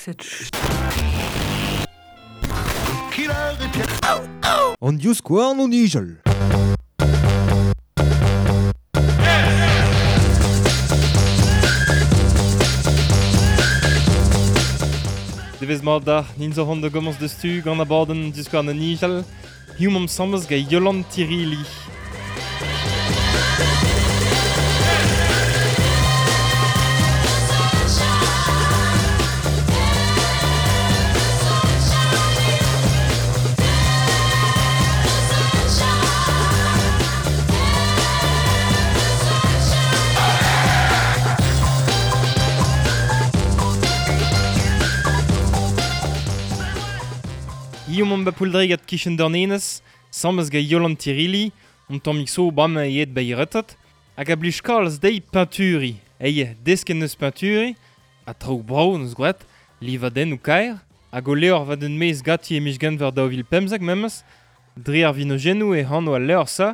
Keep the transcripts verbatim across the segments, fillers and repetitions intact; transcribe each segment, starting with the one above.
Cette An divskouarn o nijal. Devez mat da, nin zo hon da gomañs deus tu gant abadenn divskouarn o nijal. Hiziv omp asambles gant Yolande Tirili. Hiziv omp ba Pouldregat kichen Dornenez, asambles gant Yolande Tirili, un tammig zo bremañ aet ba retret, hag a blij kalz dezhi peñturiñ. Eo, desket neus peñturiñ, ha traoù brav neus gwraet, livadennoù kaer, hag o levr va den maez ganti e miz Genver daou vil pemzek memes, dre ar vinojennoù e anv al levr-se,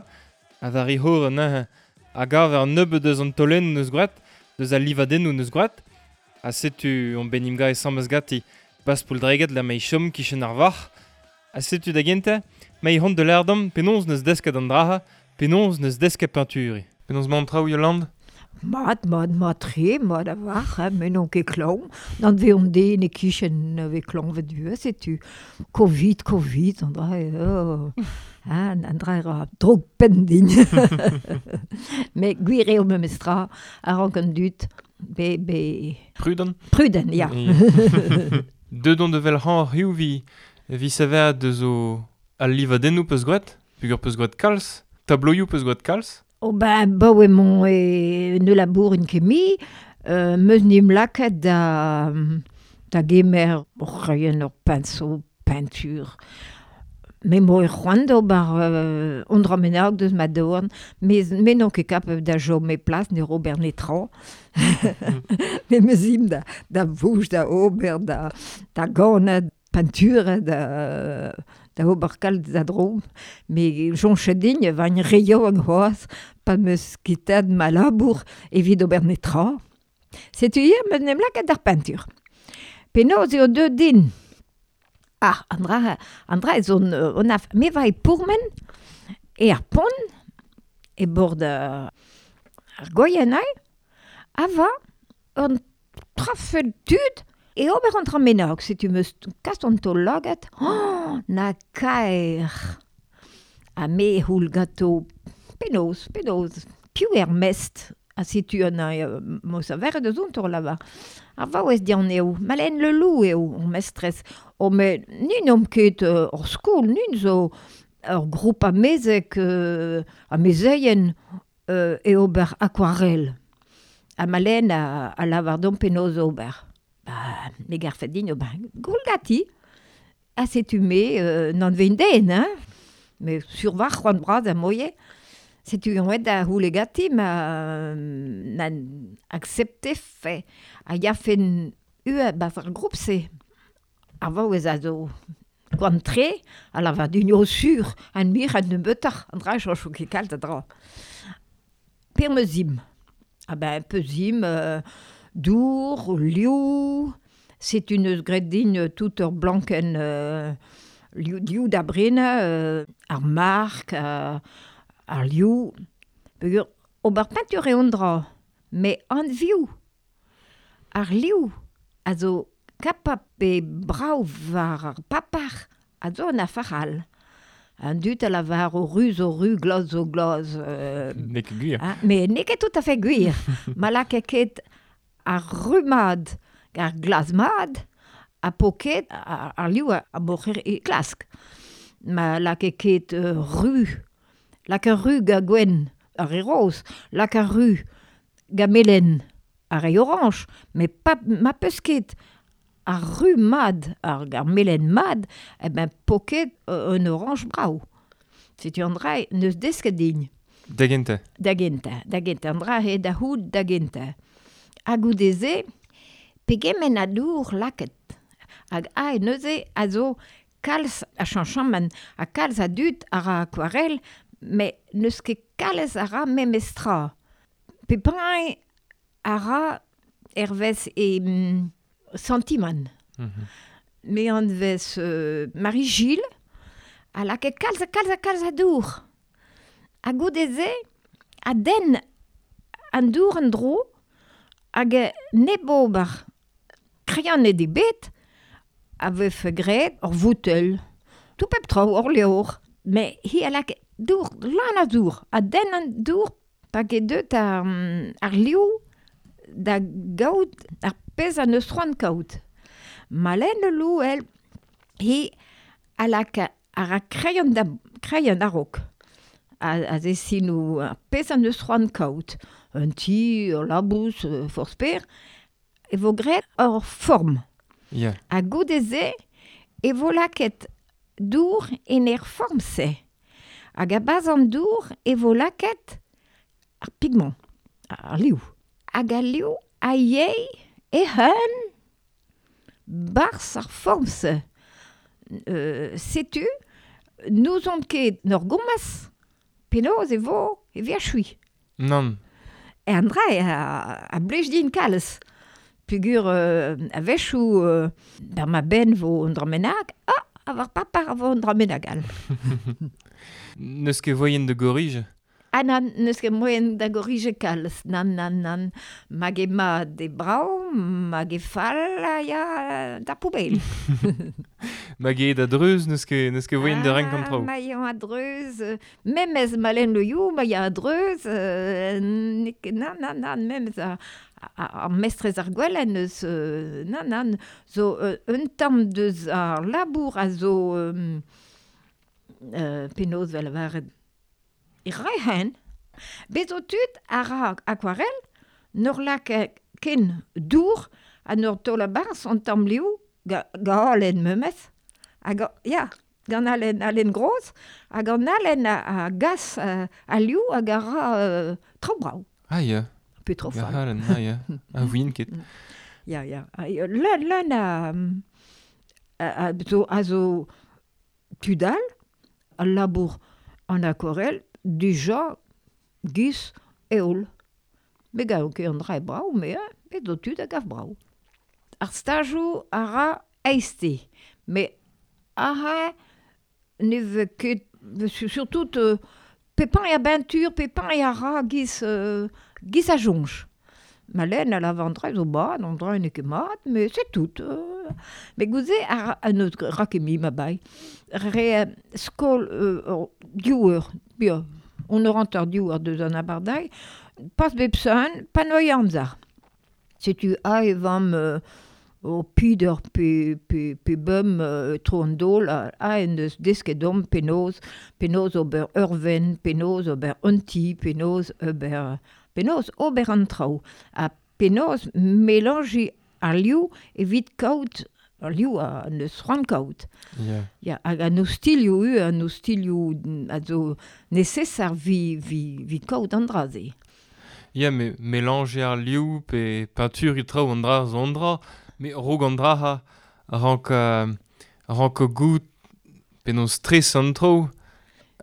ha war e c'horre neuze, a gaver nebeut eus an taolennoù neus gwraet, deus al livadennoù neus gwraet, ha setu on bet 'n em gavet asambles ganti, bas Pouldregat la mei chom kichen ar varc'h, ha setu da gentañ, mei hon de lerdom, penaos neus desket an draha, penaos neus desket peñturiñ. Penaos 'mañ an traoù, Yolande? Mat, mat, mat tre, mat a-walc'h, hein, me n'on ket klañv. N'an veomp den e-kichen ve klañvet du, setu. Covid, Covid, an dra oh. Hein, an dra ra droug penn din. Met gwir eo memes tra, a rank an dud, be, be... Prudent? Prudent, ya. Deut on da wel hañ hiziv vi vi sever deus o al livadennoù peus gwraet, peogwir peus gwraet kalz, tabloioù peus gwraet kalz. Oh ben, baoe emañ e ne labourin ket mui, euh, meus 'n em lakaet da, da gemer ur c'hraien, ur pinceau, peinture. Me 'm boa c'hoant d'ober euh, un dra bennak deus ma dorn, mes me n'on ket kapabl da chom e plas, ne ober netra. Me 'meus ezhomm da, da vouj, da ober, da, da ganañ, peinture, da, da ober kalz da dro. Me soñj din e oan re yaouank c'hoazh, pa 'm eus kuitaet ma labour evit ober netra. Setu ivez 'm eus 'n em lakaet d'ar peinture. Penaos eo deuet din? Ah, an dra, an dra zo on, on af, me va e pourmen e ar pont e bord ar Gwaien ae, a va un trafel tud e ober an dra bennak, setu 'm eus kas an taol lagad, oh, na kaer. Ha me c'houl ganto penaos, penaos, piv eo ar mestr ha setu an euh, 'm eus averet eus on taol lavar. Ar vaouez dian eo, Malène Leloup eo hor mestrez. Oh, met ni n'omp ket euh, ur skol, nin zo ur group amezek, euh, amezeien euh, e ober aquarelle. Ha Malène a, a lavar deomp penaos ober. Ba, me garfe din ober goul ganti. Ha setu me euh, n'anvein den, hein. Me sur war c'hoant bras a moie. Setu on aet da c'houle ganti ma na accepte fe. A yafen ue bas ar group-se. Ar vaouez a zo koant tre, a lavar din eo sur, an mir an nebeutoc'h, an dra chañcho ket kalz a dra. Per 'm eus ezhomm. Ah ben, peus ezhomm, euh, dour, liv, setu neus graet din tout ur blankenn euh, liv, liv da brenañ, euh, ar mark, euh, ar liv. Peogwir ober peinture eo an dra, met anvioù, ar liv a zo kapab pe brav war ar paper a zo an afer all. An dud a lavar o ruz zo ru, glaz zo glaz. Euh, N'eo ket gwir. Hein, met n'eo ket tout à fait gwir. Ma lakaet ket ar ru mat, ar glaz mat, ha po ket ar, ar liv a, a moc'her e klask. Ma lakaet ket euh, ru, lak ar ru ga gwenn, ar re roz, lak ar ru ga melen, ar re orañj, met pa, ma peus ket ar ru mat, ar, ar melen mat, eh ben po ket euh, un orañj brav. Setu an dra neus desket din. Da gentañ. Da gentañ, da gentañ, an dra eo da c'hoût da gentañ. Ha goude-se, pegement a dour lakaet. Hag ae neuze a zo kalz a chañchamant, ha kalz a dud a ra aquarelle, met n'eus ket kalz a ra memes tra. Pep hini a ra hervez e mm, santimant. Mm-hmm. Me an vez euh, Marie-Gilles, a lakaet kalz a kalz a kalz a dour. Ha goude-se, a den an dour an dro, hag neb ober kreianet e bet, a vefe graet ur voutel. Tout pep traoù, ur levr. Mais hi a lakaet dour, lan a dour, a den an dour, pa ket deut ar, ar liv da gaout ar pezh a neus c'hoant kaout. Malen le lou, el, hi a laka ar a kreion da kreion a-raok. A, a zesinou ar pezh a neus c'hoant kaout. Un ti, ur labous, forzh per, e vo graet ur form. Yeah. Ha goude-se, e vo lakaet dour en er form-se. Hag a-barzh an dour e vo lakaet ar pigment, ar liv. Hag al liv a yey e hun barzh ar form-se. Euh, setu, n'ouzon ket n'ur gomas, penaos e vo e verchui. Nann. E an dra a, a blej din kalz. Pugur euh, a-wechoù euh, bar ma ben vo un dra bennak, ah, a war papa a vo un dra bennak all. N'eus ket voien de gorige? Ah nan, n'eus ket moien da gorige kalz. Nan, nan, nan. Mag e mat e brav, mag e fall a ya da poubel. Mag e da dreuz, n'eus ket, n'eus ket voien da renk an traoù. Ah, ma eo a dreuz, memez malen le you, ma ya a dreuz, euh, nan, nan, nan, memez a, ar mestrez ar gwellen eus, euh, nan, nan, zo euh, un tamm deus ar labour a zo euh, euh, penaos vel varet e rehen. Bez zo tud a ra aquarel, n'ur lak ken dour ha n'ur taol a-barzh an tamm liv ga, ga halen memes. Hag, ya, gant halen, halen groz, hag an halen a, a gas a, a liv hag a ra euh, traoù brav. Ah ya. Pe trop Ga fall. halen, ah ya. A vouin ket. Ya, ya. Leun, leun a, a, a, zo, a zo tud all, al labour an aquarel, dija giz eol. Me gav ket an dra e brav, me, hein, bet zo tud a gav brav. Ar stajoù a ra eizhte, me aha ne vez ket, surtout euh, pepin e a beintur, pepin e a ra giz, euh, giz a jonj. Malen a lav an dra zo mat, an dra n'eo ket mat, mais c'est tout. Euh, mais gouze a an eus ra ket mi ma bai. Re skol euh, div eur, bia, on eur hanter div eur deus an abardailh, pas bep sun, pa noy amzer. Setu a e vam euh, o pider pe, pe, pe bum euh, tro an dol, a, a en deus desket dom penaos, penaos ober ur ven, penaos ober un ti, penaos ober, penaos ober an traoù. Ha penaos melanji ar liv evit kaout, ar liv a neus c'hoant kaout. Yeah. Ya, hag an ostilioù u, an ostilioù a zo nesesar vi, vi, vi kaout an dra-se. Ya, me mélanger ar liv pe peinture e traoù an dra zo an dra, me rog an dra ha rank, euh, rank gout penaos stres an traoù,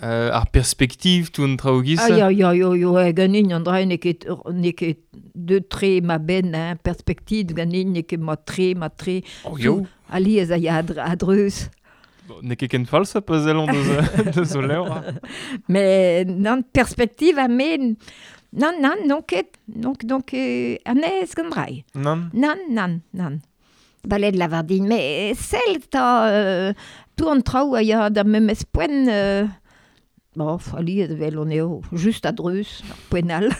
euh, ar perspektiv tout an traoù giz. Ah ya, ya, ya, ya, ganin an dra n'eo ket, n'eo ket de tre ma ben, hein, perspektiv ganin n'eo ket ma tre, ma tre. Oh, yo. Alies a ya a dreuz. Bon, n'eo ket ken falsa pa zellon deus, deus o levr. Mais nan perspektiv a men, nan, nan, non ket, donc, donc, euh, anez gant drai. Nan. Nan, nan, nan. Baled lavar din, mais sell ta euh, tout an traoù a ya da memes poent, euh, bon, alies vel on eo, just a dreuz, ar poent all.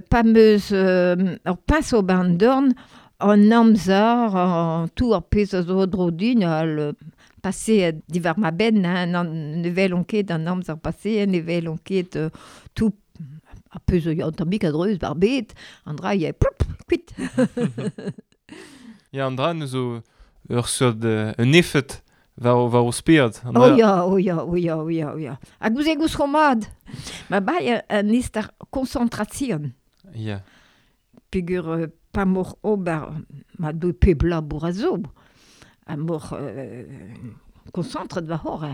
Pa meus euh, ur pinceau ban dorn, an amzer, an tout ar pezh a zo dro din, al passé divar ma ben, hein, nan, ne vel on ket an amzer passé, ne vel on ket euh, tout ar pezh zo an tammig a dreuz bar bet, an dra ya ploup, kuit. Ya, an dra neus zo ur seurt euh, un efed war, war o spered. An Oh dra... ya, oh ya, oh ya, oh ya, oh ya. Hag ouzh e gouz mad. Ma bai an istar concentration. Ya. Pegur euh, pa mor ober, ma deu peb labour a zo. A mor euh, concentret va hor.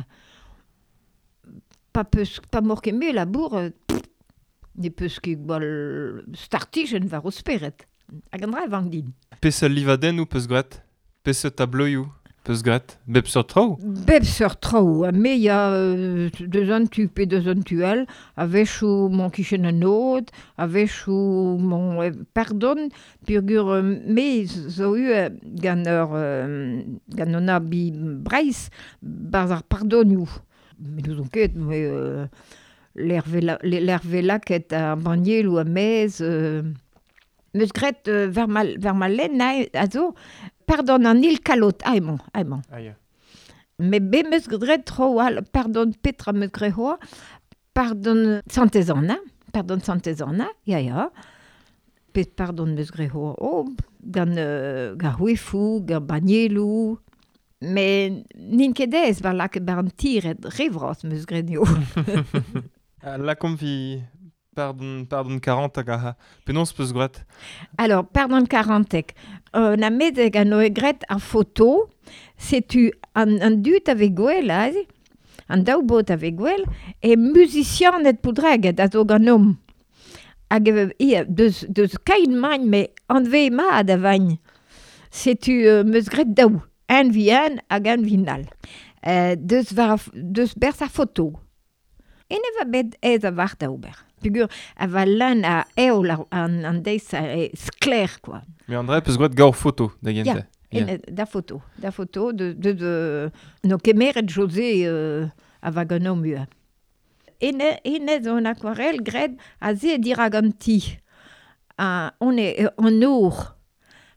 Pa peus, pa mor ket me labour, euh, ne peus ket gwall startijenn war o spered. Hag an dra e vank din. Peseurt livadennoù peus graet? Peseurt tableioù peus graet? Bep seurt traoù? Bep seurt traoù. Ha me ya euh, deus an tu pe deus an tu all, a-wechoù mon kichen an od, a-wechoù mon euh, pardon, peogwir euh, me zo eu euh, gant ur euh, gant an abi Breizh barzh ar pardonioù. Me n'ouzon ket, me euh, l'er velaket ar bannielou a mez... Euh, meus graet euh, war ma, war ma lenn a zo, pardon an il kalot, ah emañ, ah emañ. Ah, ya. Me be meus graet tro al, pardon petra meus graet hoa, pardon Santez-Anna, pardon Santez-Anna, ya ya. Pet pardon meus graet hoa, oh, gant, euh, gant c'hwefou, gant bannielou. Me n'int ket aes war lakaet bar an tiret, re vras meus graet eo. Lakomp vi pardon, pardon quarante hag a penaos peus graet? Alors, pardon quarantek. Euh, na medeg an oe graet ar foto, setu an, an dud ave gwell aze, an daou bot ave gwell, e musicianet poudreget a zo gant om. Hag e, ia, deus, deus kain magn, me anve mat a vagn. Setu euh, meus graet daou, un vi un hag un vi nal. Euh, deus, war, deus berz ar foto. Ene va bet aes a war da ober. Peogwir a va lan a eol an, an deiz a e skler, quoi. Me an dra peus graet gaur foto, da gentañ. Ya, yeah. Da foto. Da foto, de, de, de, no kemeret José euh, a va gant om ua. Ene, ene zo an aquarelle graet a ze dirag an ti. A, on e an our.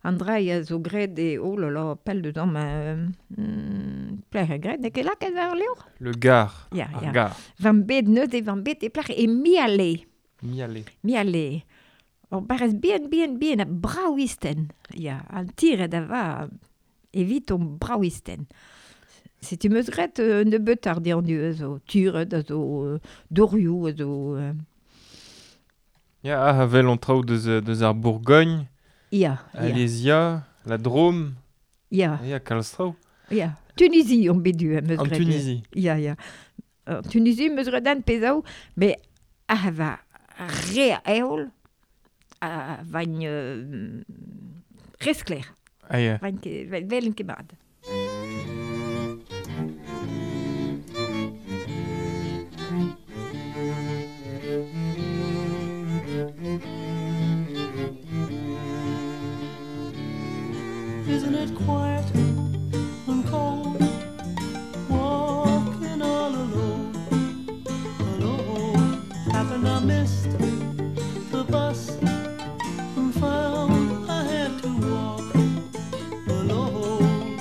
An dra a zo graet e, oh là là, pell deus am, euh, plec'h e graet, n'eo ket lakaet war levr? Le gar. Ya, Ar ya. gar. Van bet neuze, van bet e plec'h e miale. Miale. Miale. Ur barrez bien, bien, bien, a braouisten. Ya, an tiret a va evit on braouisten. Setu meus graet euh, nebeut ar diandu a zo turet, a zo euh, dorioù, a zo... Euh... Ya, ah, a vel an traoù deus, deus ar Bourgogne. Ya, ya. Alésia, la Drôme. Ya. Ya, kalz traoù. Ya. Tunisie, on bet du, meus En graet. Tunisie. Ya, ya. Uh, Tunisie, meus graet an pezaou, me a va re a eol, a vagn euh, re skler. Ah, ya. Vagn ket, velen ket mat. Isn't it quiet and cold, walking all alone, alone? Happened I missed the bus and found I had to walk alone.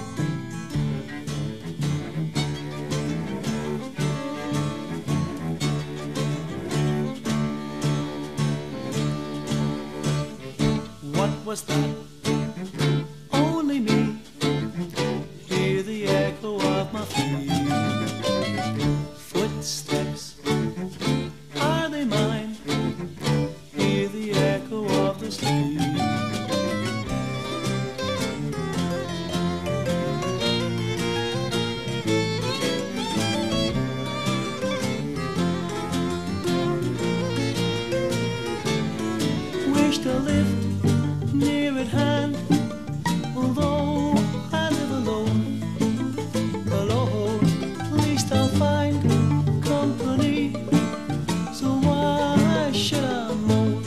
What was that? Only me. Hear the echo of my feet. Footsteps, are they mine? Hear the echo of the street. Wish to live near at hand, although I live alone, alone. At least I'll find company, so why should I moan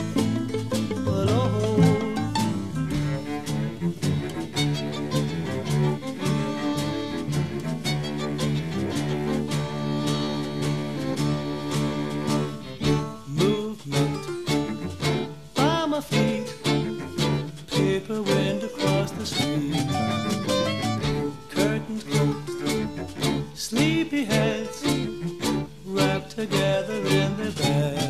alone? Movement by my feet, paper wind across the street, curtains closed, sleepy heads wrapped together in their beds.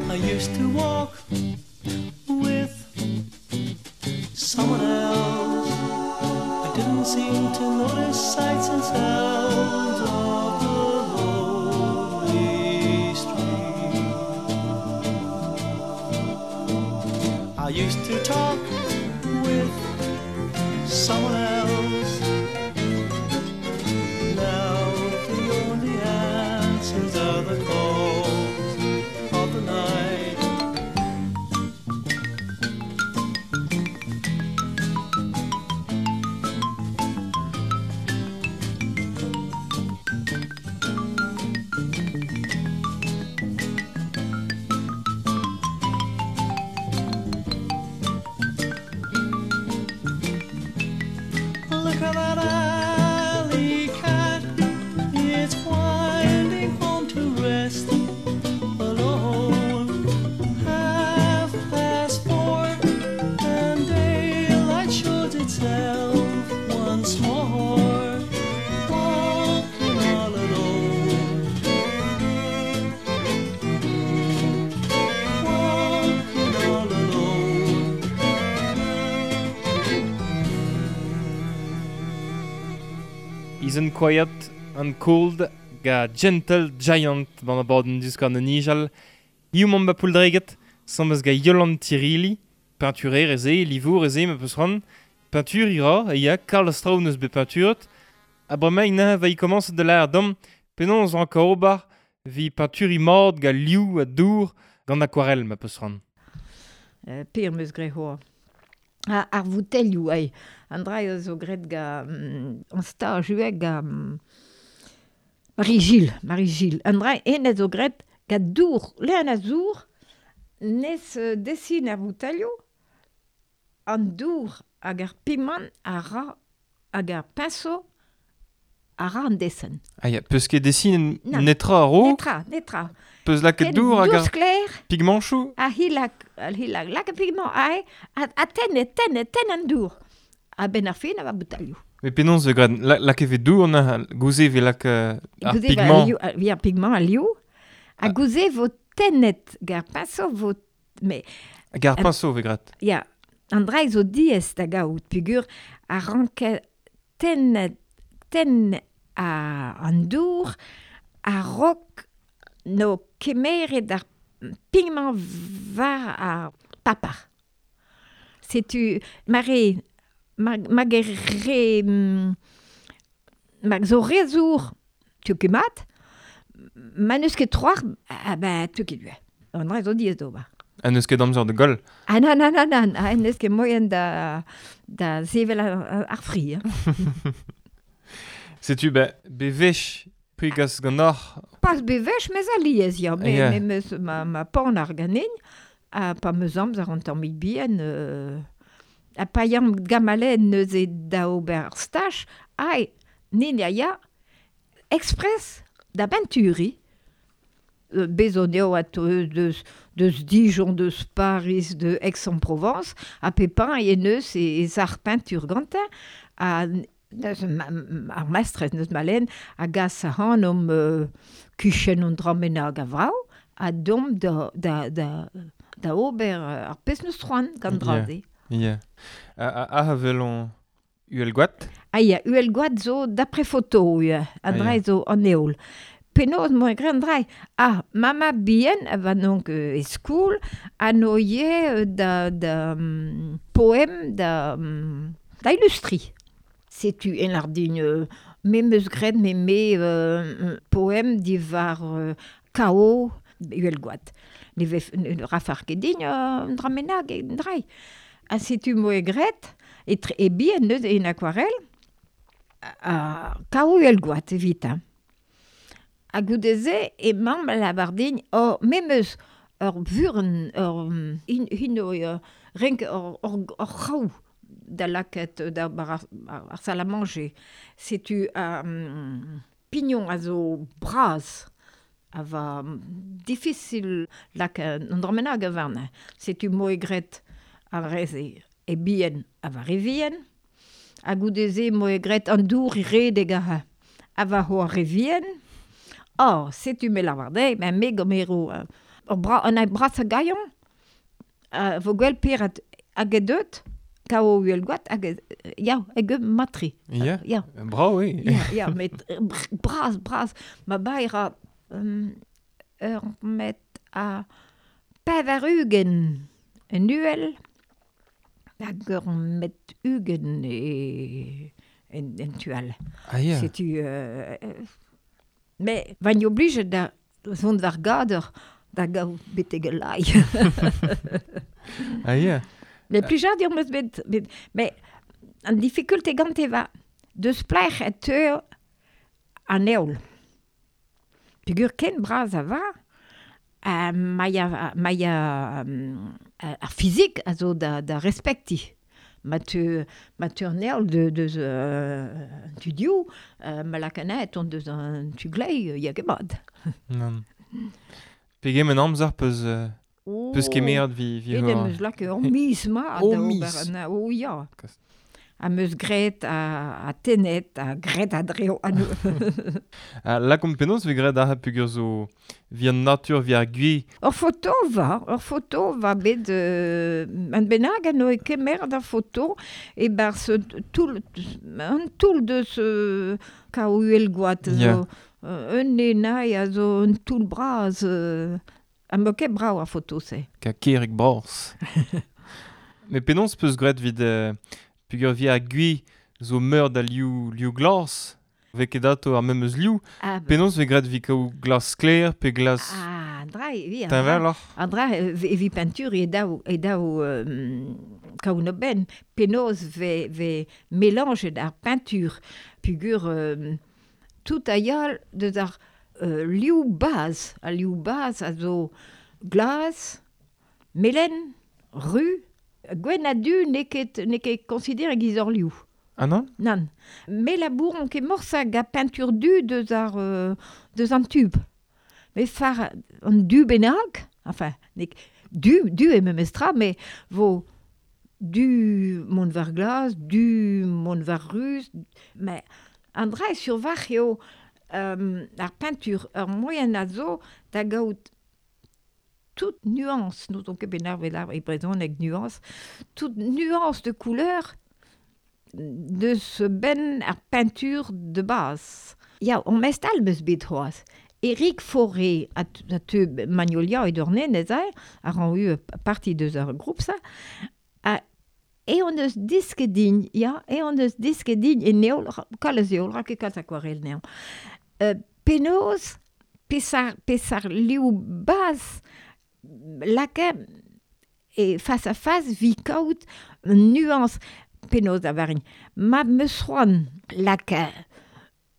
I used to walk with someone else. I didn't seem to notice sights and sounds of the lonely street. I used to talk with Isn't Quiet and Cold ga Gentle Giant ban a bord diouskouarn an nijal. Hiu mont ba pouldreget, samez ga Yolan Tirili, peinturer eze, livour eze, ma peus ran. Peinture ira, e ya, Karl Straun eus bet peinturet. A bremañ na va i komañs de l'air dom, penaos an ka ober, vi peinturi mord ga liou a dour gant aquarelle ma peus ran. Euh, pir meus gre hoa. Ha, ar voutelioù, ai. An dra eo zo gret ga mm, an staj ue ga mm, Marie-Gilles, Marie-Gilles. An dra en zo gret ga dour, le an a zour, nes euh, desin ar voutelioù, an dour hag ar piment a ra hag ar pinceau a ra an desen. Ah ya, peus ket desin Nan. netra a ro, Netra, netra. peus lakaet Ken dour hag ar dour sklaer, pigmanchou. a hilak, a hilak, lak a pigment, a, a, a ten, ten, ten an dour. A ben ar fin a va boutalioù. Mais penaos e gret, la, lak e ve dour na gouze ve lak euh, ar Gouze va pigment. liou- a- vi ar pigment a liou. A Ah. gouze vo tennet gar pinceau vo... Mais, Hag ar pinceau ve gret. ya, an dra zo diez da gaout, pugur a ranke tennet, ten a, an dour a rok no kemeret ar pigment var ar papar. Setu, ma re, ma, ma ge re, mm, ma zo re zour, tu ket mat, ma n'eus ket troar, ah ben, tu ket due. An dra zo diez d'ober. Ha n'eus ket amzer de goll. Ah nan, nan, nan, nan, ah, n'eus ket moyen da, da sevel ar, ar fri. Hein. Setu, be, be vech prigas gant Pas bevech, mes a liez, ya, me, Yeah. me meus ma, ma pan ar ganin, ha pa meus amzer an tamm bihan, euh, ha pa yam gamalen neuze da ober ar staj, ai, nin ya ya, express da benturi. Euh, bezon eo at eus deus, deus Dijon, deus Paris, de Aix-en-Provence, ha pepin e neus e, e zar peinture gantin, ha neus ma, ar maestrez neus malen, a gas a han om euh, kuchen an dramena hag a vrao, a dom da, da, da, da ober euh, ar pez neus troan gant Yeah. dra-se. Ya. A, a, a a vel on uhelgoat. Ah ya, uhelgoat zo d'après photo, ya, an Ah, dra ya. zo an eol. Penaos moa gren dra, ah, mama bihan a va donc euh, e skoul, a noie euh, da, da um, poem da, um, da illustri. Setu en lardin, euh, me meus gret me me euh, poem divar euh, kao uhelgoat. Ne vef, ne, ne rafar ket din, euh, un dra menag, un dra. Ha setu moa gret, e, tre, e bihan neus en aquarelle, a kao uhelgoat evit. Hein. Ha goudeze e mamm la bardin, o me meus ur vuren, ur hin, hino, uh, renk ur, ur, ur c'hraou da lakaet da bar ar, ar salle à manger. Setu um, pignon a zo braz, a va mm, difficile lakaet an dramenag a varna. Setu moe gret ar reze e bihan a va re vihan, ha goudeze moe gret an dour i redeg a a va ho ar re vihan. Oh, setu me lavar dezhi, ben me gomero euh, ur bra, an ai bras a gaion, uh, vo gwell perat hag e deut, kao uhelgoat, hag e, ya, hag e matri. Ya. Ya, Bravo, oui. ya, ya, met br- bras, bras, ma baira um, ur met a pevar ugent en uhel, hag ur met ugent e, en, en tual. Ah ya. Setu... Euh, euh, mais van oblige da zont war gader da gaout betek el lai. Ah ya. Mais plijadur meus bet, bet, mais an difficulté gante va deus plec'h e teu an eol. Peogwir ken bras a va, a ma ya, ma ya um, ar fizik a zo da, da respekti. Ma teu, ma teu an eol de, deus euh, an tu diou, euh, ma lakana et on deus an tu glei, ya ket mat. Nann. Pegement amzer peus, euh, peus kemeret vi, vi E ho... dem eus lak ur miz ma O da ober miz. an- O ya. Kost. A meus gret a, a tenet, a gret a dreo a nou. A lakomp penaos ve gret a pugur zo vi an natur, vi ar gwi. Ur foto va, ur foto va bet euh, an bennak an oe kemer da foto e barz toull, an toull deus euh, ka uhel gwad zo Yeah. euh, un enai a zo un toull bras euh, a mo ket brav ar foto se. Ka kerig bras. Me penaos peus gret vid euh, pugur vi ar gwi zo meur da liou, liou glas, ve ket ato ar memeus liou. Ah, ba- Penaos ve gret vi kaou glas sklaer pe glas ah, dra, vi, an dra, teñvaloc'h. an dra e vi peinture e daou, e daou euh, kaout no ben penaos ve, ve mélange ar peinture pugur euh, tout a yal deus ar euh, liou baz, al liou baz a zo glas, melen, ru, gwenn a du n'eo ket, n'eo ket considéré giz ur liou. Ah non? Nann. Me labour on ket morsa ga peinture du deus ar, euh, deus an tube. Me far an du bennak, enfin, n'eo ket- du, du e memestra, me vo du mont war glas, du mont war ruz, mais an dra sur var eo euh, ar peinture ur moyen a zo da gaout toute nuance, nous on ket bennak vel ar e brezhoneg nuance, toute nuance de couleur deus ben ar peinture de base. Ya, on mestal meus bet c'hoazh. Eric Fauré a, a teu Magnolia e dornen ez a, a ran eu parti deus ar groupe ça, a, e on eus disket din, ya, e on eus disket din e neol, kalz eol, ra ket kalz akwarel neo. Euh, penaos, pesar, pesar liou baz, laka e face à face vi kaout nuance penaos a varin. Ma meus c'hoant laka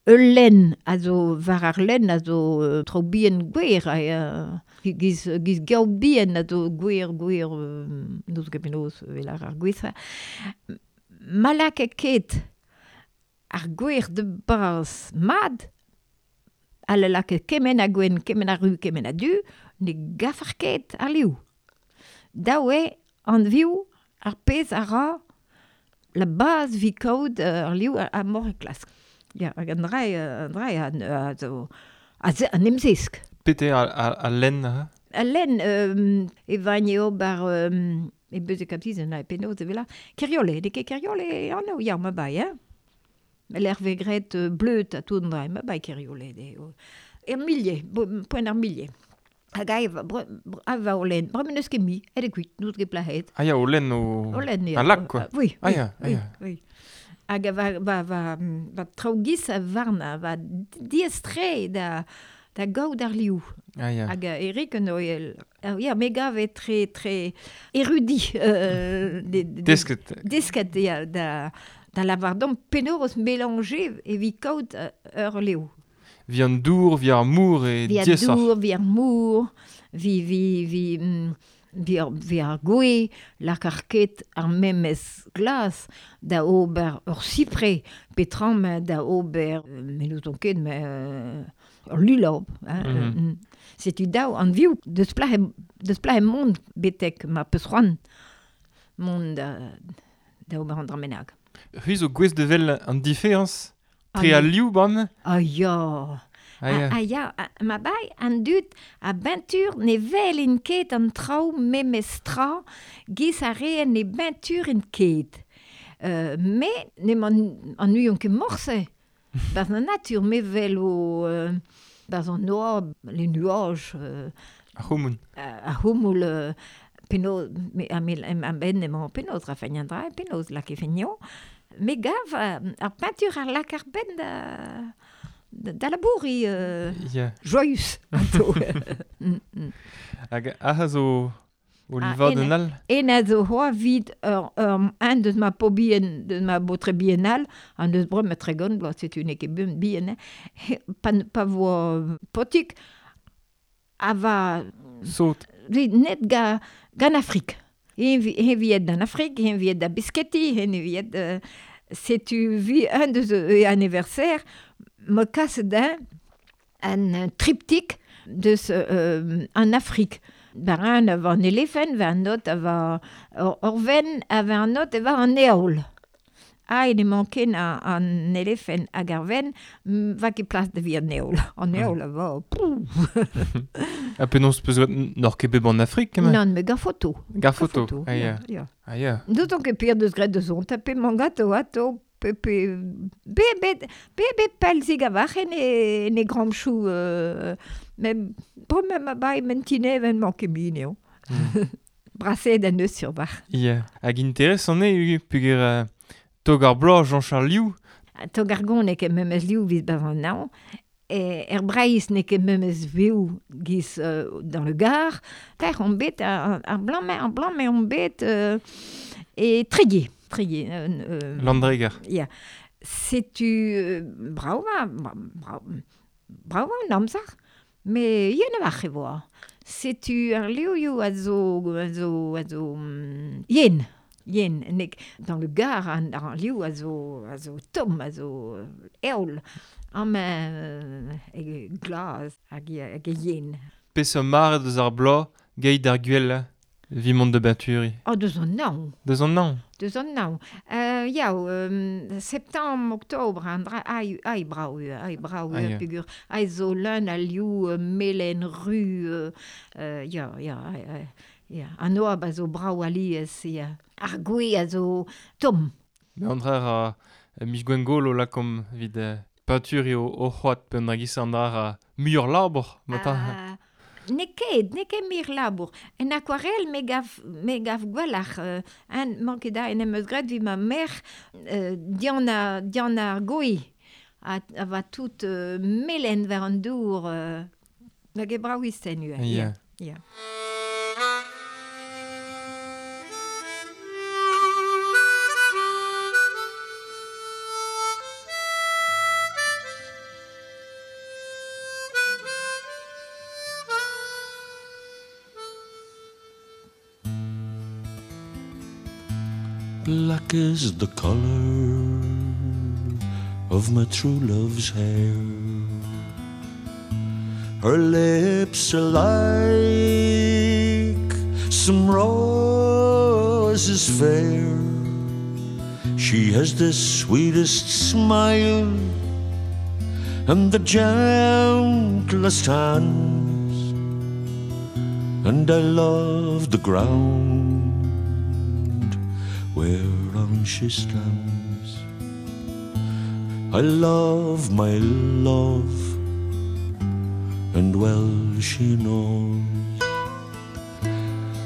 ul lenn a zo war ar lenn a zo euh, tro bien gwer a, euh, giz, giz gaou bien a zo gwer, gwer, euh, n'eus ket penaos vel ar ar gwez. Ma laka ket ar gwer de baz mad, a le laka kement a gwenn, kement a ru, kement a du, ne gafar ket ar liou. Daou eo an viou ar pezh a ra la base vi kaout euh, ar liou a, a mor e klask. Ya, hag an dra, an dra a, a, zo, a, ze, an emzesk. Pete a, a, a lenn ha? A lenn euh, e vagn eo bar euh, e beus e kaptizen a e penaos e vela. Keriole, de ket Keriole anv, ya, ma bai, hein? L'er ve gret euh, bleut a tout an dra, ma bai Keriole. De, o. Er millier, bo, poent ar millier. Hag a eva, bre, bre, a va o lenn, bremen eus ket mi, ed e kuit, n'out ket plahet. Ah ya, o lenn o... O lenn, ya. Un lac, quoi. Ah, oui, Ah oui, ya, ah oui, ya. oui. Hag a va, va, va, va traoù-giz a varna, va diestre da, da gaout ar liou. Ah ya. Hag a Eric an oel, ah, ya, me gav e tre, tre érudit. Euh, de, de, Desket. Desket, ya, da, da lavardom penaos mélanger evit kaout euh, ur liou. Vi an dour, vi ar mour e Vi ar diesoc'h. dour, vi ar mour, vi, vi, vi, mm, vi ar, vi ar gwe, lak ar ket ar memes glas da ober ur sipre, petram da ober, euh, me n'ouzon ket, me euh, ur lulab. Hein, Mhm. euh, mm. Setu daou an viou, deus plah e, deus plah e mont betek ma peus c'hoant mont da, da ober an dra bennak. C'hwi zo gwez de vel an diferañs tre Ah, a liou bam. Ah ya. Ah ya. Ah, ah ya, ah, ma bai an dud a beintur ne vel in ket an traoù memes tra giz a reen ne beintur in ket. Euh, me ne man an uion ket morse. Barz an natur me vel o euh, barz an noa, les nuages euh, Ar c'houmoun. a, a houmoul euh, penaos me a me a ben emañ penaos ra feign an dra penaos lak e feigno. Me gav euh, ar peinture ar lak ar ben da da, da labouri euh, Ya. joyeux anto. Mm, mm. Hag aha zo o Ah, livad ene. un all. En a zo hoa vid ur, ur, un deus ma po bien, deus ma botre biennal, an deus brem ma tregon, bloaz setu n'eo ket bien, bien, hein. He, pa, pa vo potik, a va Sot. vi net ga, gan Afrik. Hen vi- hen viet d'an Afrik, hen viet da Bisketti, hen viet... Euh, setu vi un deus e anniversaire, me kas d'un an triptyque deus euh, an Afrik. Bar un a va an elefen, va an not a va ur, ur ven, a va an not e va an eol. Ai ne manken an, an elefen hag ar ven, va ket plas da vi an eol. An eol a va, pouf. Ha penaos peus n'or ket bet an Afrik, kement? Non, me gar foto. Gar foto, ah ya. Ya. Ah ya. Nous on ket pir deus graet deus on, tape mangato ato, pe, pe, be, be, be, be pelzig a vachen e, ne gramchou, euh, mem, bremañ ma bai mentine ven manke min eo. Mm. Braset an eus sur var. Ya. Hag interesant eo, pugur... Euh... Tog ar bloaz Jean-Charles Liou. Tog ar gon n'eo ket memes liou vis bavan naon. E er Breiz n'eo ket memes viou giz euh, dans le Gard. Ter on bet ar, ar blanc, ar blanc, mais on bet euh, e Tréguier. Tréguier. Euh, euh, Landreger. Ya. Setu euh, brava, brava, brava an amzer, me yen a var e voa. Setu ar liouioù a zo, a zo, a zo, mm, yen. Yen, nek, dans le Gard, an, an liou a zo, a zo tomm, a zo eol, am euh, e glaz hag hag e yen. Peseurt mare deus ar bloaz, geit ar gwell, vi mont de Benturi. Oh, deus an naon. Deus an naon. Deus an naon. Euh, yaou, euh, septembre, octobre, an dra, ai, ai brao, ai brao, ah, ya. Pegur, ai zo leun a liou, euh, melen, ru, euh, euh, ya, ya, ai, ai. Ya, an oab a zo brao alies, ya. Ar gwe a zo tomm. Me an dra a miz gwengolo lakom vid euh, peinture eo o c'hoat pe an dra an dra a muioc'h labour, matin. Ah, ne ket, ne ket mir labour. En aquarelle me gav, me gav gwelloc'h. Euh, an manket da en em eus graet vi ma mer euh, dian a, dian ar gwe. A, a va tout euh, melen war an dour. Euh, nag e brao isten ua. Ya. Ya. Black is the color of my true love's hair. Her lips are like some roses fair. She has the sweetest smile and the gentlest hands, and I love the ground whereon she stands. I love my love, and well she knows.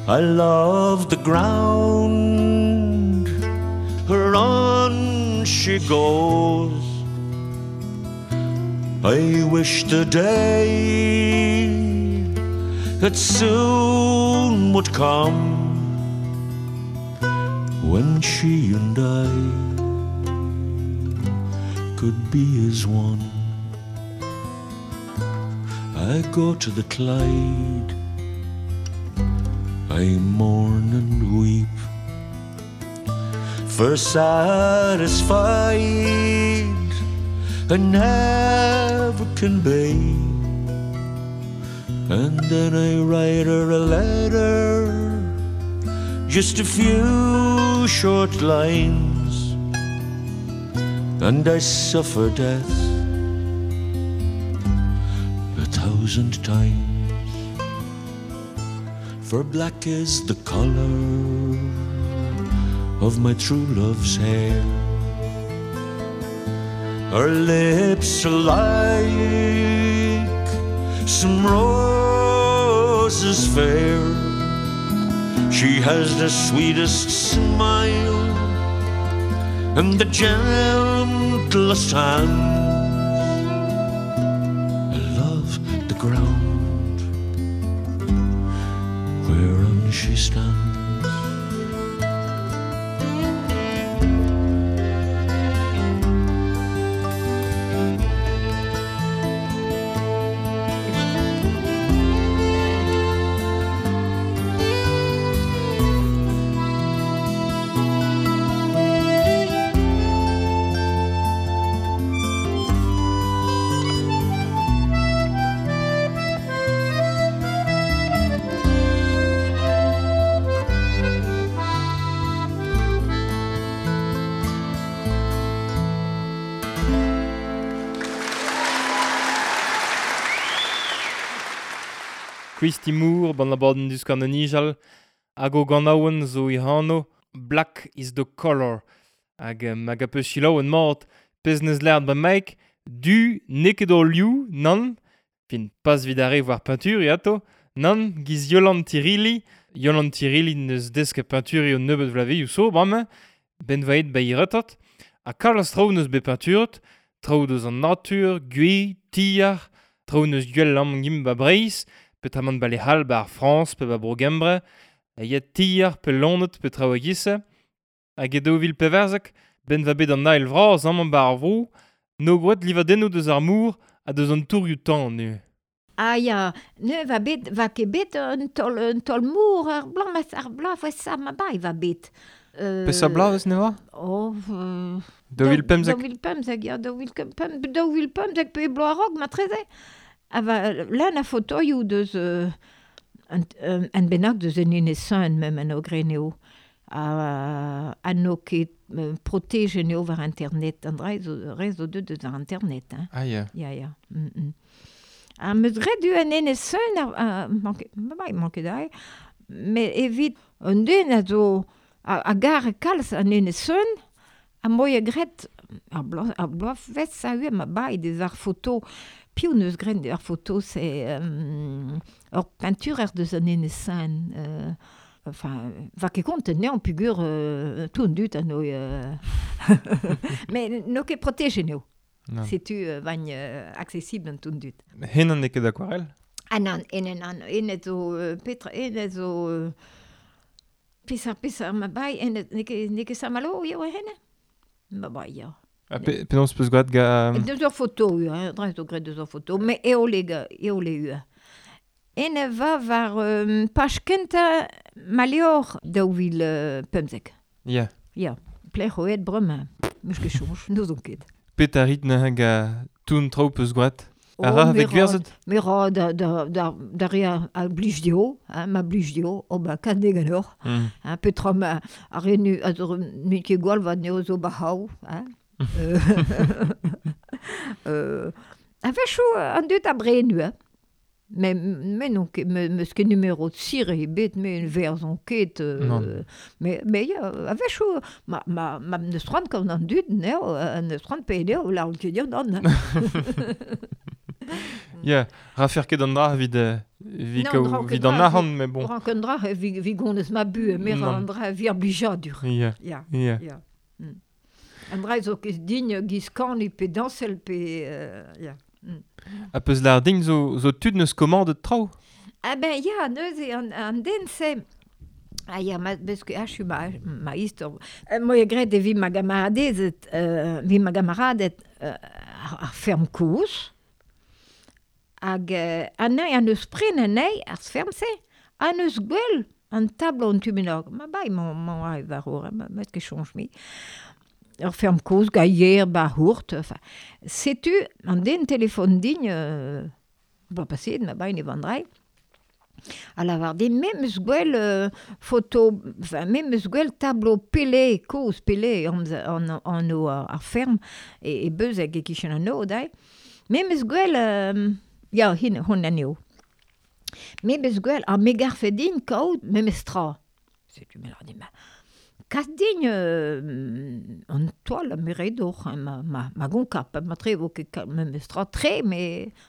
I love the ground whereon she goes. I wish the day that soon would come when she and I could be as one. I go to the Clyde, I mourn and weep, for satisfied I never can be. And then I write her a letter, just a few short lines, and I suffer death a thousand times. For black is the color of my true love's hair. Her lips are like some roses fair. She has the sweetest smile and the gentlest hands. I love the ground whereon she stands. Christy Moore ban abadenn Divskouarn o Nijal hag o ganaouenn zo e anv Black is the Color. Hag um, hag a peus selaouet mat pezh neus lâret ba Mike, du n'eo ket ur liv, nann, fin pas evit ar re war peñturiñ atao, nann, giz Yolan Tirili, Yolan Tirili neus desket peñturiñ un nebeud vloavezhioù zo bremañ, ben vaet ba iretat, ha kalz traoù neus bet peñturet, traoù deus an natur, gwez, tier, traoù neus gwell amañ gimp ba Breizh, peotramant ba lec'h all ba ar Frañs pe ba Bro-Gembre, a ya tier pe loened pe traoù a-giz-se. Hag e daou vil pevarzek, ben va bet an ael vras amañ ba ar vro, no gwraet livadennoù deus ar mor ha deus an tourioù-tan neuze. Ah ya, ne va bet, va ket bet un taol, un taol mor ar bloaz, mas ar bloaz sa ma bai va bet. Euh, Peseurt bloavezh ne oa? Oh, euh, Daou vil pemzek. Daou vil pemzek, ya, daou vil pemp, daou vil pemzek pe bloaz a-raok matreze. Ha va, lan a fotoioù deus euh, un, un, un bennak deus en enez Sun mem an ogren eo. Ha, ha n'o ket euh, protege eo war internet, an dra zo, re zo deut deus ar internet, hein. Ah ya. Ya, ya. Mm, mm. Ha meus graet du en enez Sun, ar, a, manke, ma manke dai, met evit un den a zo a, a gar kalz an enez Sun, ha moia graet ar bloaz, ar bloavezh a eo ma bai deus ar foto, piv neus graet ar foto, c'est euh, ur peinturer deus an enez Sun, euh, enfin, va ket kont anezhañ peogwir euh, tout an dud a n'o euh, mais n'o ket protege neo. Non. Setu euh, vagn euh, accessible an tout an dud. Henan n'eo ket aquarelle? Ah nann, enen an, enez zo euh, petra, enez zo euh, peseurt peseurt ma bai, enez n'eo ket n'eo ket Saint-Malo eo henne? Ma bai, ya. Ha pe, penaos peus gwraet ga... Deus ur foto, hein, dra zo graet deus ur foto, met eole ga, eole eo. Ene va war euh, paj kentañ ma levr daou vil euh, pemzek. Ya. Ya, plec'h oet bremañ, meus ket soñj, n'ouzon ket. Pet a rit neuze ga tout traoù peus gwraet? A ra Oh, me vez gwerzhet? Me ra da, da, da, da re a, a blij dio, hein, ma blij dio, oh ba kad ganeoc'h. Mm. Hein, petra ma ar re nu, a zo nu ket gwall va neo zo ba hav, hein. Euh, euh, a-wechoù an dud a brenu, hein. Mais me n'on ket, me, meus ket numero sir ebet, me verzon ket, euh, Non. mais, mais ya, a-wechoù, ma, ma, ma neus c'hoant gant an dud, neo, euh, neus c'hoant pe neo, lâret ket dir nann. Ya, rafer ket an dra evit, euh, evit Non, kaout- dra ket evit an dra, arc'hant, mais bon. Ran ket dra, vi, vi gonez ma bu, me ra Non. an dra vi ar blijadur. Ya, Ya, ya. ya. Mm. An dra zo ket din giz kan pe dañsel pe... Euh, ya. Mm. Ha peus lâret din zo, zo tud neus komandet traoù? Ah ben ya, neuze an, an den se... Ah ya, ma, beus ket achu ma, ma istor. Euh, moia graet evit ma gamaradezed, euh, evit ma gamaraded euh, ar, ar ferm kozh. Hag euh, anezhi an eus pren anezhi, ar ferm-se, an eus gwell an tablo an tu bennak. Ma bai, mañ, mañ ae war ur, ma, ma ket soñj mi. Ur ferm kozh, gaier, ba hourt, enfin. Setu, an den telefon din, euh, ba paseet, ma bai ne vandrai, a lavar din, me meus gwell euh, foto, enfin, me meus gwell tablo Pelé, kozh Pelé, an, an, an o ar, ar ferm, e, e Beuzeg e kichen an o, dai. Me meus gwell, euh, ya, hin, hon anezho. Me meus gwell, ar me garfe din kaout memes tra. Setu me lar din, ma, kas din euh, an toal a me ret oc'h, hein, ma, ma, ma gonkap, ma tre vo ket memes tra tre, me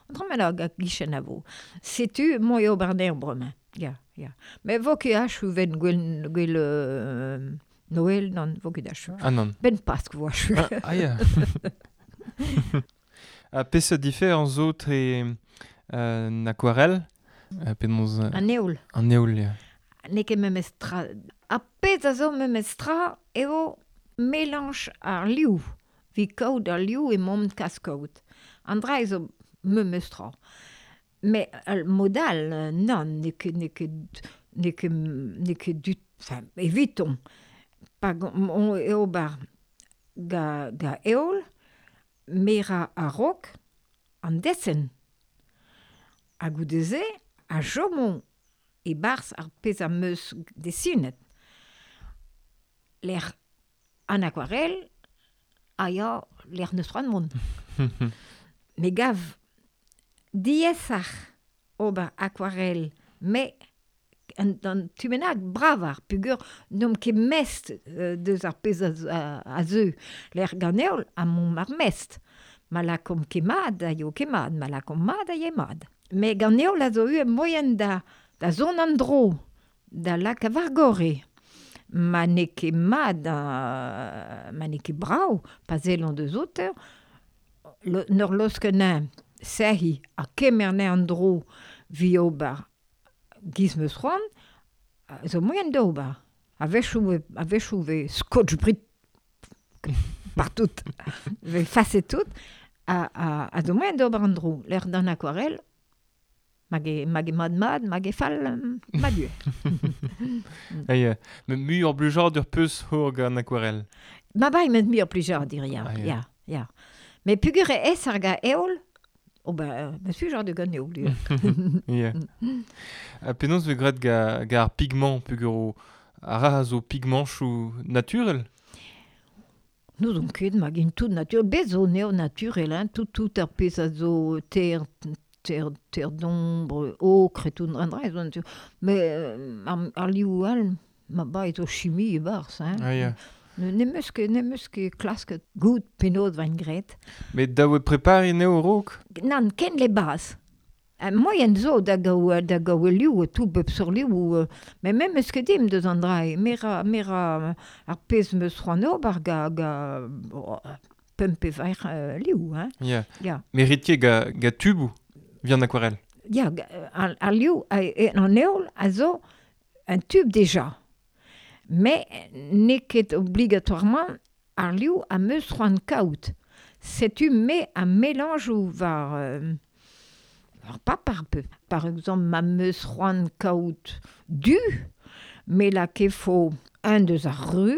an dra me la gichen a vo. Setu moi ober anezhañ bremañ. Ya, ya. Me vo ket achu ven gwell, gwell euh, Noël, non, vo ket achu. Ah nann. Ben Pask vo achu. Ah, ah ya. Ha peseurt diferañs zo tre euh, an aquarelle, euh, penaos... Euh, An eoul. An eoul, ya. N'eo ket memes tra. Ar pezh a zo memes tra eo melanj ar liv. Vi kaout ar liv emaomp kas kaout. An dra zo memes tra. Mais al mod all, nann, n'eo ket, n'eo ket, n'eo ket, n'eo ket du, enfin, eviton. Pa on eo bar ga, ga eoul, me ra a-raok an desenn. Ha goude-se, a chomo e-barzh ar pezh am eus desinet. Lec'h an aquarelle, a ya lec'h neus c'hoant mont. Me gav diaesoc'h ober aquarelle Mais an, an tu menag bravar, pugur n'om ket mest euh, deus ar pezh a, a, a zeu. L'er ganeol a mont ar mest. Ma lakom ket mad a yo ket mad, ma lakom mad a ye mad. Me ganeol a zo eu moyen da, da zon an dro, da lak a vargore. Ma n'eo ket mad, uh, ma n'eo ket brao, pa zellon deus oter, lo, nor losken sehi a kemer ne an dro vi ober giz meus c'hoant, zo moyen d'ober. A-wechou ve, a-wechou ve scotch brit partout, ve faset tout, a, a, a zo moyen d'ober an dro. L'air d'an aquarelle, mag e, mag e mad mad, mag e fall mad ue. Hey, me mu ur blijadur peus hor gant aquarelle. Ma bai met mu ur blijadur, ya, ah, ya, ya. Me pugur e es ar ga eol, oh ben, me suis genre de gant eol, du. Ya. A penaos ve graet ga, ga ar pigment pugur o ar a zo pigmentchou naturel? Nous on ket mag in tout naturel, bez zo neo naturel, hein, tout tout ar pezh a zo ter, ter, ter d'ombre, ocre et tout, an dra zo naturel. Mais euh, ar, ar liou al, ma ba zo chimie e barz, hein. Ah, ya. Ne, ne meus ket, ne meus ket klasket gout penaos vain graet. Met da oe prepari neo raok? Nan, ken le baz. Uh, moyen zo da gaou, da gaou liou, tout bep sur liou, euh, mais même eus ket dim deus an dra, mera, mera ar pezh meus c'hoant ober ga, ga oh, pemp pe vaer euh, liou, hein. Ya. Ya. Mais rit ket ga, ga tubou vient aquarelle. Ya, ar, ar liou, a, e, an eol a zo un tube déjà. Mais n'eo ket obligatoirement ar liou a meus c'hoant kaout. Setu me a mélange ou var... Euh, war paper peu. Par exemple, ma meus c'hoant kaout du, me la kefo un deus ar ru,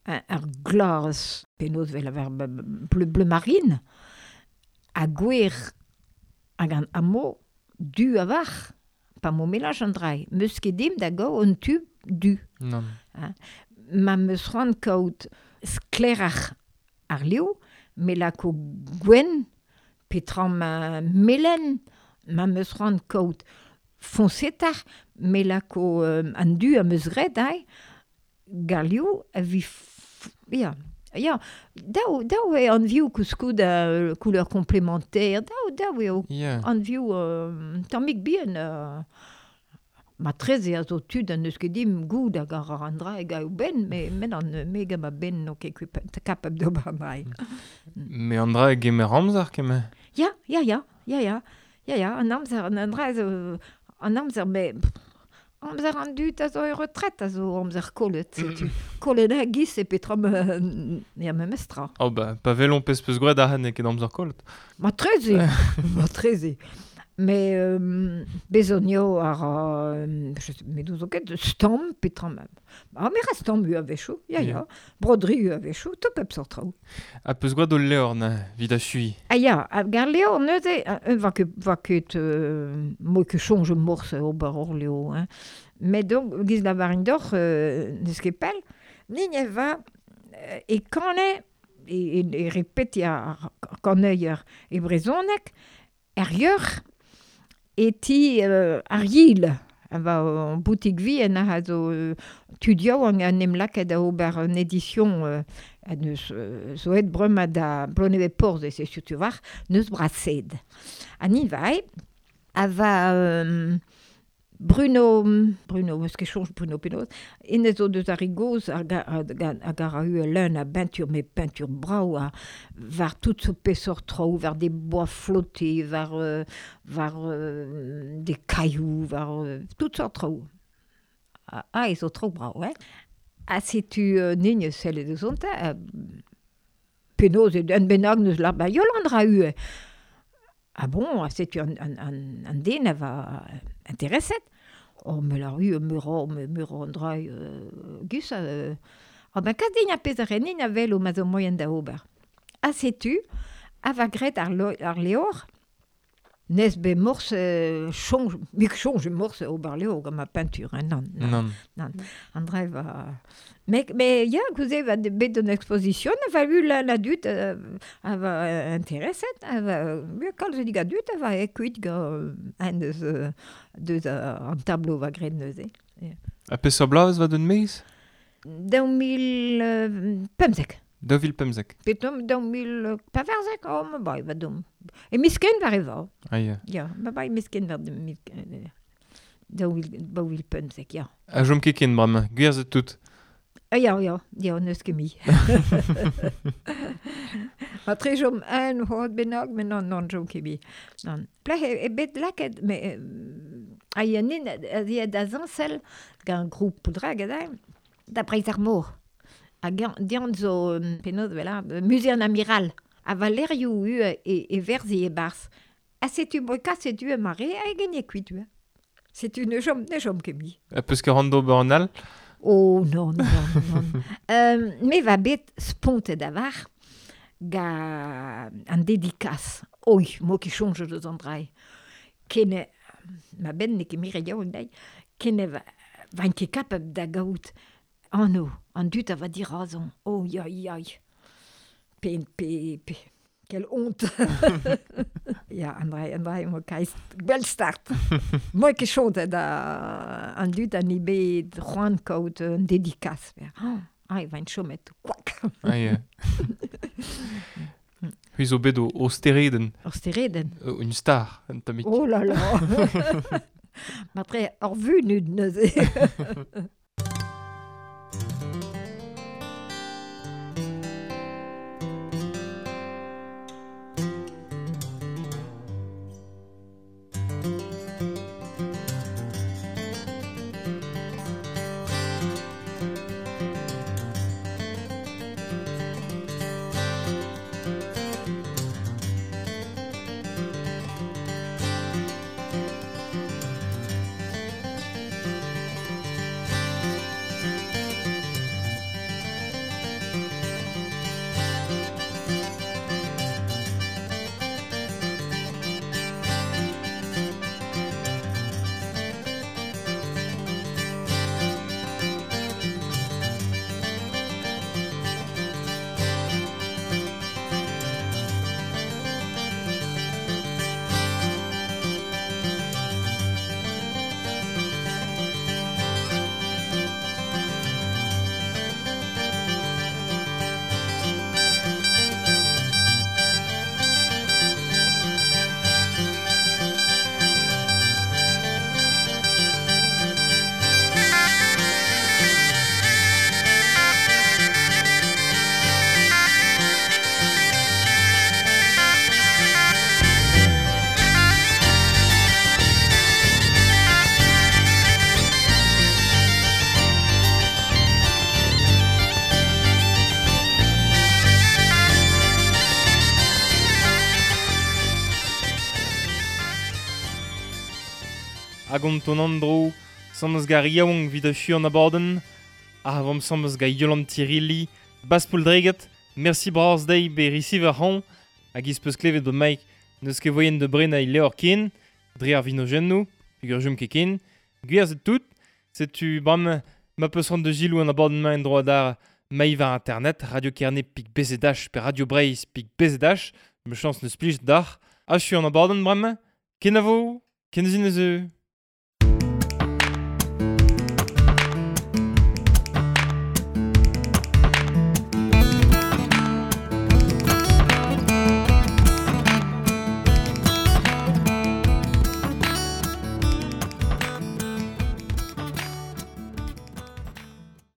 un, ar glas, penaos vel aver bleu, bleu marine, a gwer hag an amo du a var, pa mo mélange an drai. Meus ket dim da gao un tube du. Non. Hein. Ma meus c'hoant kaout sklerach ar liou, me lako gwenn, petra ma melen, ma meus c'hoant kaout foñsetar, me lako euh, an du a meus graet ai, gar liou a vi... F... Ya, ya, daou, daou eo an viou koulskoud a euh, couleur complémentaire, daou, daou eo Yeah. an viou euh, tammig bihan... Euh, ma treze a zo tud an neus ket dim goud hag ar an dra hag a ben, me, men an me gant ma ben n'o ket kapab d'ober an dra. Me an dra gemer amzer keme? Ya, ya, ya, ya, ya, ya, ya, an amzer, an dra zo, an amzer, me, pff, amzer an dud a zo e retret a zo amzer kollet, setu. Kollet a giz e petra me, ya me mestra. Oh ba, pa velon pez peus gwraet ar ket amzer kollet. Ma treze, ma treze. Mais euh, bezonio ar euh, je sais, me douzo ket stamp petra ma. Ah, me ra stamp u a-wechou, ya ya. Yeah. Broderie u a-wechou, tout pep sort traoù. A peus gwraet o levr na vid a chui. Ah ya, a gar levr neuze, euh, va ket, va ket, euh, moi ket soñj morse ober hor levr, hein. Mais donc, giz la varin d'or, euh, neus ket pell, nin e va, euh, e kane, e, e, e repeti ar kaneier e brezhoneg, er yeur, e ti euh, ar yil, a va an boutik vi en a zo euh, tud yaouank an em lakaet da ober un édition euh, a neus euh, zo et bremañ da Plonevez Porzh e se surtout war, neus brased. A ni vai, a va euh, Bruno, Bruno, eus ket soñj Bruno penaos, enez zo deus ar goz hag hag a ra eu leun a beintur, me peinture brao, a war tout so pesor traoù, war des bois flottés, war, euh, war euh, des cailloux, war euh, tout sort traoù. Ah, ah, e zo traoù brao, hein. A setu euh, nign selle deus onta, euh, penaos e un bennak neus la ba Yolande ra eu. Ah bon, a setu an, an, an, an den a va intereset. Oh, me la ru, me ra, me, me ra an dra, euh, gus, euh, ah ben, kas din a pezh a renin a vel o ma zo moyen da ober. A setu, a va graet ar, lo, ar levr, Nez be morse chonj, mik chonj morse ober leo gant ma peinture, hein, non, non. Non. An dre va... Me, me ya, gouze va bet an exposition, a va lu la, la dut, euh, a va intereset, a va... Ya, kalz dig a dut, a va e kuit gant un deus, deus an tableau va graet neuze. A peseurt bloaz va d'un meiz? Daou mil pemzek. Daou vil pemzek. Petom daou mil pevarzek, oh, ma bai, va dom. E misken var e va. Ah, ya. Ya, ma bai misken var de mil... Daou vil, daou vil pemzek, ya. A jom ket ken bremañ, gwerzhet tout. Ah, ya, ya, ya, n'eus ket mi. Ma tre jom un c'hoad bennak, met non, non, jom ket mi. Non. Plech e, e bet laket, me... A ya nin, a zi da zañsel, gant group Pouldreg, da Breiz ar mor. A dian zo, penaos vela, musée an amiral. A valerioù u e, e verzi e barz. A setu boika, setu e mare, a e genye kuit u. Setu ne jom, ne jom ket mi. A peus ket ran d'ober an all? Oh, non, non, non. euh, me va bet spontet avar ga an dedikas. Oi, mo ket chonj deus an drai. Ken, ma ben ne ket mire yaouank dai, ken va, va ket kapab da gaout. Anno, an dut a va dirazon. Oh, ya, ya. P, P, P. Quelle honte. Ya, an drai, an drai, mo kaiz gwell start. Moi ket chontet da an dut an i bet c'hoant kaout un dedikas. Oh, ai, va en chomet, kwak. Ah, ya. Hui zo bet o, o stereden. O stereden. Euh, une star, un tammig. Oh là là. Matre, ur vunut neuze. Hag on ton andro, samez gar yaouank vid a an abadenn, ar vam samez ga Yolan Tirilli, Bas Pouldreget, merci bras dei be risiv ar c'han, hag iz peus klevet bo Mike, neus ket voyen de brena il leor ken, dre ar vinojennoù, peogwir jom ket ken, gwerzhet tout, setu bram ma peus ran de gilou an abadenn ma en droit d'ar maï war internet, Radio Kerne pik B Z H pe Radio Breizh pik B Z H, me chans neus plij d'ar, achu an abadenn bram, kenavo, kenzin eus.